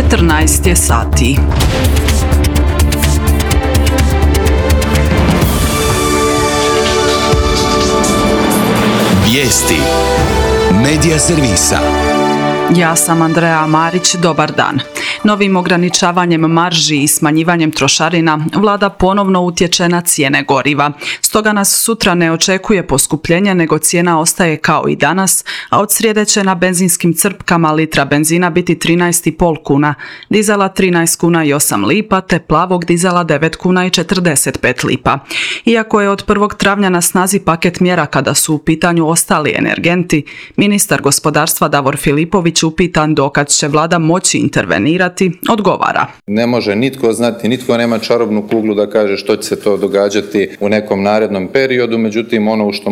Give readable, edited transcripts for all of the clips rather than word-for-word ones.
14 je sati. Vijesti Medija servisa. Ja sam Andreja Marić, dobar dan. Novim ograničavanjem marži i smanjivanjem trošarina vlada ponovno utječe na cijene goriva. Stoga nas sutra ne očekuje poskupljenje, nego cijena ostaje kao i danas, a od srijede će na benzinskim crpkama litra benzina biti 13,5 kuna, dizela 13 kuna i 8 lipa, te plavog dizela 9 kuna i 45 lipa. Iako je od 1. travnja na snazi paket mjera kada su u pitanju ostali energenti, ministar gospodarstva Davor Filipović upitan dokad će vlada moći intervenirati, odgovara. Ne može nitko znati, nitko nema čarobnu kuglu da kaže što će se to događati u nekom narednom periodu, međutim ono u što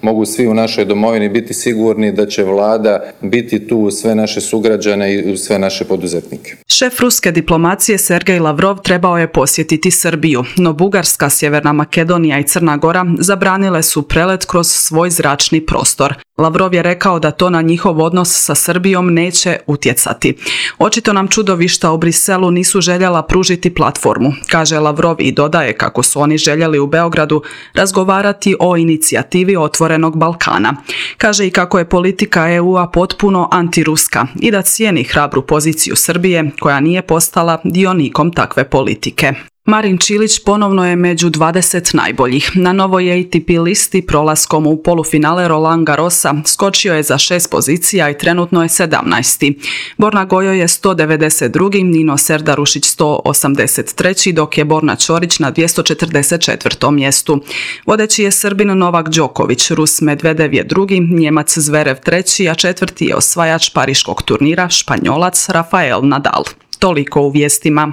mogu svi u našoj domovini biti sigurni da će vlada biti tu uz sve naše sugrađane i uz sve naše poduzetnike. Šef ruske diplomacije Sergej Lavrov trebao je posjetiti Srbiju, no Bugarska, Sjeverna Makedonija i Crna Gora zabranile su prelet kroz svoj zračni prostor. Lavrov je rekao da to na njihov odnos sa Srbijom neće utjecati. Očito nam čudovišta u Briselu nisu željela pružiti platformu, kaže Lavrov i dodaje kako su oni željeli u Beogradu razgovarati o inicijativi Otvorenog Balkana. Kaže i kako je politika EU-a potpuno antiruska i da cijeni hrabru poziciju Srbije koja nije postala dionikom takve politike. Marin Čilić ponovno je među 20 najboljih. Na novoj ATP listi prolaskom u polufinale Roland Garrosa skočio je za 6 pozicija i trenutno je 17. Borna Gojo je 192. Nino Serdarušić 183. dok je Borna Ćorić na 244. mjestu. Vodeći je Srbin Novak Đoković, Rus Medvedev je drugi, Njemac Zverev treći, a četvrti je osvajač pariškog turnira Španjolac Rafael Nadal. Toliko u vijestima.